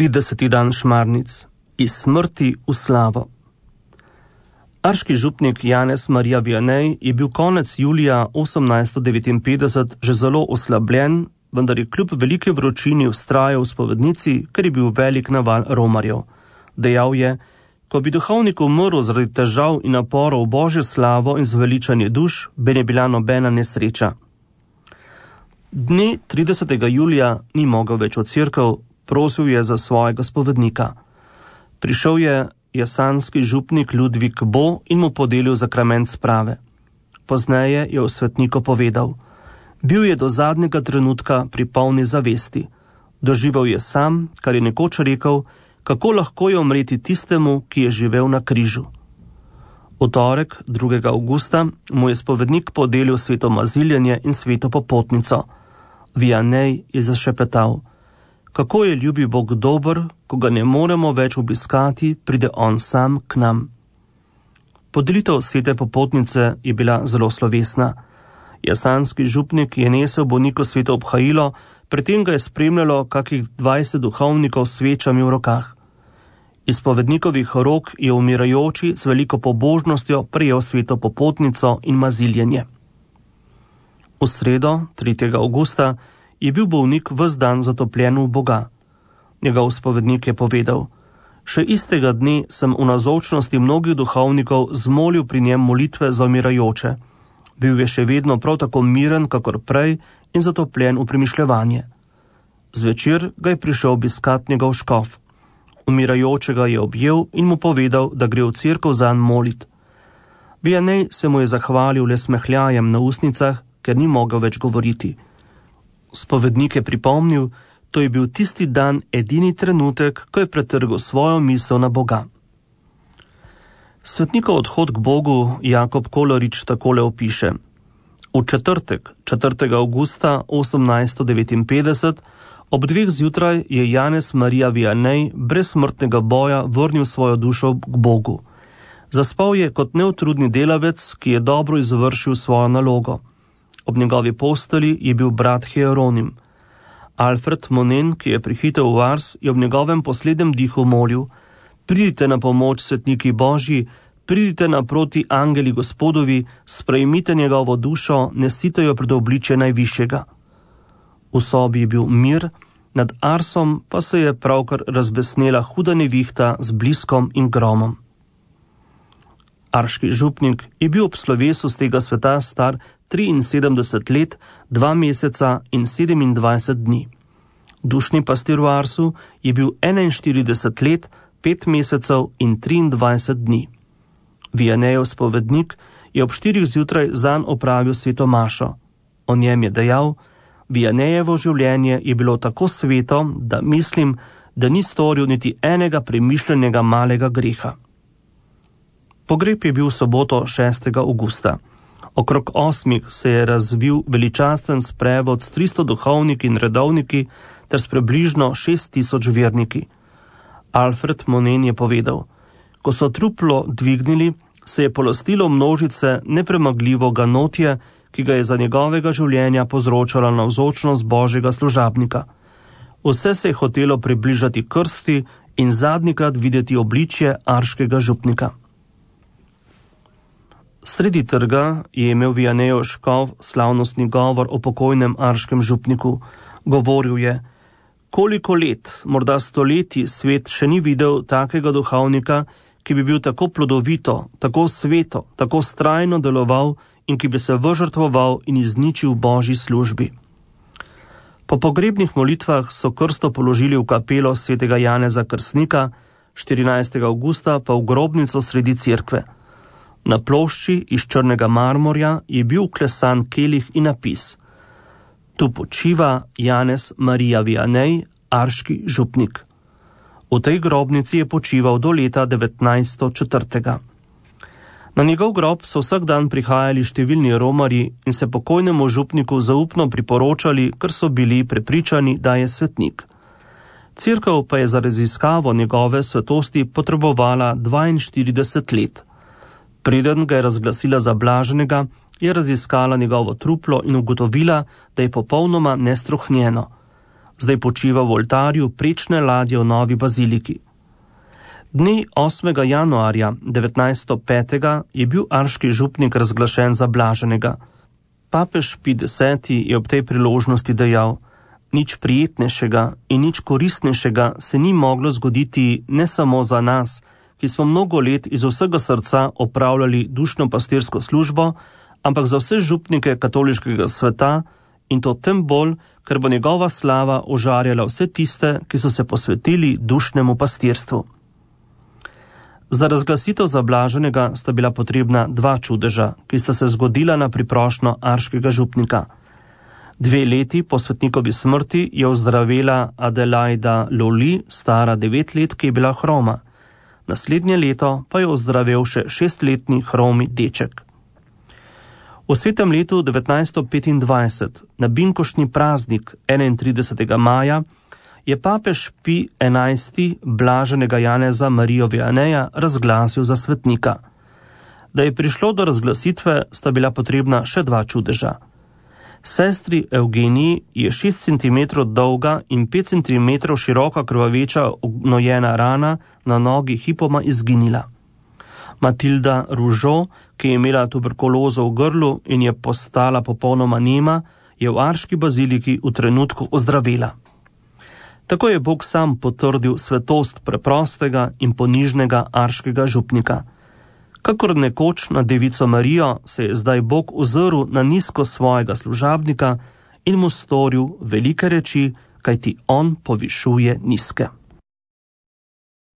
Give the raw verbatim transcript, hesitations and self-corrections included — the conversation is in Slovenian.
trideseti dan Šmarnic, iz smrti v slavo. Arški župnik Janez Marija Vianney je bil konec julija osemnajststo devetinpetdeset že zelo oslabljen, vendar je kljub velike vročini vztrajal v spovednici, ker je bil velik naval romarjev. Dejal je, ko bi duhovnik umrl zaradi težav in naporov Božjo slavo in zveličanje duš, bi ne bila nobena nesreča. Dne tridesetega julija ni mogel več v cerkev, prosil je za svojega spovednika. Prišel je jasanski župnik Ludvik Bo in mu podelil zakrament sprave. Pozneje je v svetniku povedal, bil je do zadnjega trenutka pri polni zavesti. Doživel je sam, kar je nekoč rekel, kako lahko je umreti tistemu, ki je živel na križu. V torek, drugega avgusta, mu je spovednik podelil sveto maziljenje in sveto popotnico. Vianney je zašepetal, kako je ljubi Bog dober, ko ga ne moremo več obiskati, pride on sam k nam. Podelitev svete popotnice je bila zelo slovesna. Jasanski župnik je nesel bolniku sveto obhajilo, pri tem ga je spremljalo kakih dvajset duhovnikov s svečami v rokah. Iz spovednikovih rok je umirajoči z veliko pobožnostjo prejel sveto popotnico in maziljenje. V sredo, tretjega avgusta, je bil bolnik ves dan zatopljen v Boga. Njegov spovednik je povedal, še istega dne sem v navzočnosti mnogih duhovnikov zmolil pri njem molitve za umirajoče. Bil je še vedno prav tako miren, kakor prej in zatopljen v premišljevanje. Zvečer ga je prišel obiskat njegov škof. Umirajočega je objel in mu povedal, da gre v cerkev zanj molit. Vianney se mu je zahvalil le smehljajem na ustnicah, ker ni mogel več govoriti. Spovednik je pripomnil, to je bil tisti dan edini trenutek, ko je pretrgal svojo misel na Boga. Svetnikov odhod k Bogu Jakob Kolarič takole opiše. V četrtek, četrtega avgusta osemnajststo devetinpetdeset, ob dveh zjutraj je Janez Marija Vianney brez smrtnega boja vrnil svojo dušo k Bogu. Zaspal je kot neutrudni delavec, ki je dobro izvršil svojo nalogo. Ob njegovi posteli je bil brat Hieronim. Alfred Monen, ki je prihitel v Ars, je ob njegovem poslednjem dihu molil, pridite na pomoč svetniki Božji, pridite naproti angeli Gospodovi, sprejmite njegovo dušo, nesite jo pred obličje najvišjega. V sobi je bil mir, nad Arsom pa se je pravkar razbesnela huda nevihta z bliskom in gromom. Arški župnik je bil ob slovesu z tega sveta star triinsedemdeset let, dva meseca in sedemindvajset dni. Dušni pastir v Arsu je bil enainštirideset let, pet mesecev in triindvajset dni. Vianneyjev spovednik je ob štirih zjutraj zanj opravil sveto mašo. O njem je dejal, Vianneyjevo življenje je bilo tako sveto, da mislim, da ni storil niti enega premišljenega malega greha. Pogreb je bil v soboto šestega avgusta. Okrog osmih se je razvil veličasten sprevod s tristo duhovniki in redovniki ter s približno šest tisoč verniki. Alfred Monen je povedal, ko so truplo dvignili, se je polastilo množice nepremagljivo ganotje, ki ga je za njegovega življenja povzročala navzočnost Božjega služabnika. Vse se je hotelo približati krsti in zadnjikrat videti obličje arškega župnika. Sredi trga je imel Vianneyjev škof slavnostni govor o pokojnem arškem župniku. Govoril je, koliko let, morda stoletij, svet še ni videl takega duhovnika, ki bi bil tako plodovito, tako sveto, tako vztrajno deloval in ki bi se vžrtvoval in izničil v Božji službi. Po pogrebnih molitvah so krsto položili v kapelo svetega Janeza Krstnika, štirinajstega avgusta pa v grobnico sredi cerkve. Na plošči iz črnega marmorja je bil vklesan kelih in napis. Tu počiva Janez Marija Vianney, arški župnik. V tej grobnici je počival do leta devetnajststo četrtega. Na njegov grob so vsak dan prihajali številni romarji in se pokojnemu župniku zaupno priporočali, ker so bili prepričani, da je svetnik. Cerkev pa je za raziskavo njegove svetosti potrebovala dvainštirideset let. Preden ga je razglasila za blaženega, je raziskala njegovo truplo in ugotovila, da je popolnoma nestruhnjeno. zdaj počiva v oltarju prečne ladje v novi baziliki. Dne osmega januarja devetnajststo petega je bil arški župnik razglašen za blaženega. Papež Pij deseti je ob tej priložnosti dejal: nič prijetnejšega in nič koristnejšega se ni moglo zgoditi ne samo za nas, ki smo mnogo let iz vsega srca opravljali dušno pastirsko službo, ampak za vse župnike katoliškega sveta, in to tem bolj, ker bo njegova slava ožarjala vse tiste, ki so se posvetili dušnemu pastirstvu. Za razglasitev za blaženega sta bila potrebna dva čudeža, ki sta se zgodila na priprošnjo arškega župnika. Dve leti po svetnikovi smrti je ozdravela Adelaida Loli, stara devet let, ki je bila hroma. Naslednje leto pa je ozdravel še šestletni hromi deček. V svetem letu devetnajststo petindvajset, na binkoštni praznik enaintridesetega maja, je papež Pij enajsti blaženega Janeza Marijo Vianeja razglasil za svetnika. Da je prišlo do razglasitve, sta bila potrebna še dva čudeža. Sestri Evgeniji je šest centimetrov dolga in pet centimetrov široka krvaveča gnojena rana na nogi hipoma izginila. Matilda Ružo, ki je imela tuberkulozo v grlu in je postala popolnoma nema, je v arški baziliki v trenutku ozdravela. Tako je Bog sam potrdil svetost preprostega in ponižnega arškega župnika. Kakor nekoč na devico Marijo se je zdaj Bog ozrl na nizko svojega služabnika in mu storil velike reči, kajti on povišuje nizke.